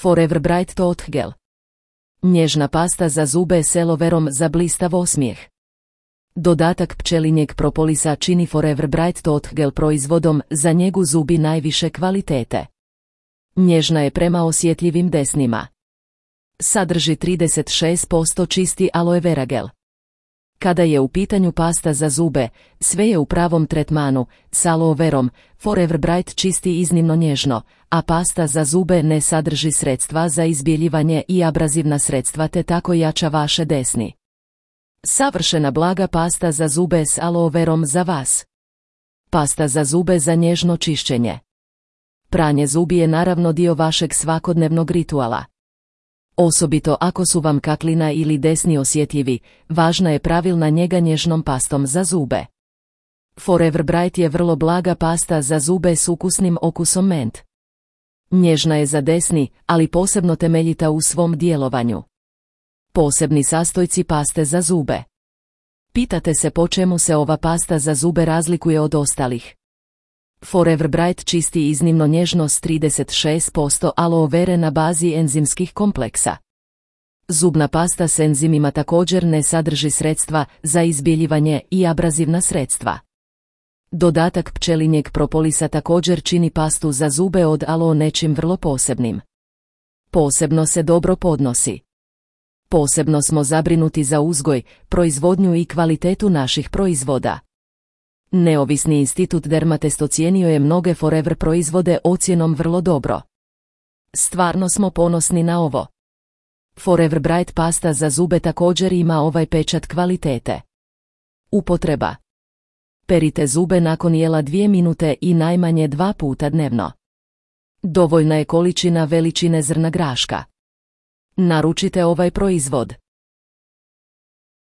Forever Bright Tooth Gel. Nježna pasta za zube s aloe verom za blistav osmijeh. Dodatak pčelinjeg propolisa čini Forever Bright Tooth Gel proizvodom za njegu zubi najviše kvalitete. Nježna je prema osjetljivim desnima. Sadrži 36% čisti aloe vera gel. Kada je u pitanju pasta za zube, sve je u pravom tretmanu, s aloe verom, Forever Bright čisti iznimno nježno, a pasta za zube ne sadrži sredstva za izbjeljivanje i abrazivna sredstva te tako jača vaše desni. Savršena blaga pasta za zube s aloe verom za vas. Pasta za zube za nježno čišćenje. Pranje zubi je naravno dio vašeg svakodnevnog rituala. Osobito ako su vam kaklina ili desni osjetljivi, važna je pravilna njega nježnom pastom za zube. Forever Bright je vrlo blaga pasta za zube s ukusnim okusom ment. Nježna je za desni, ali posebno temeljita u svom djelovanju. Posebni sastojci paste za zube. Pitate se po čemu se ova pasta za zube razlikuje od ostalih. Forever Bright čisti iznimno nježno s 36% aloe vere na bazi enzimskih kompleksa. Zubna pasta s enzimima također ne sadrži sredstva za izbjeljivanje i abrazivna sredstva. Dodatak pčelinjeg propolisa također čini pastu za zube od aloe nečim vrlo posebnim. Posebno se dobro podnosi. Posebno smo zabrinuti za uzgoj, proizvodnju i kvalitetu naših proizvoda. Neovisni institut Dermatest ocijenio je mnoge Forever proizvode ocjenom vrlo dobro. Stvarno smo ponosni na ovo. Forever Bright pasta za zube također ima ovaj pečat kvalitete. Upotreba. Perite zube nakon jela 2 minute i najmanje 2 puta dnevno. Dovoljna je količina veličine zrna graška. Naručite ovaj proizvod.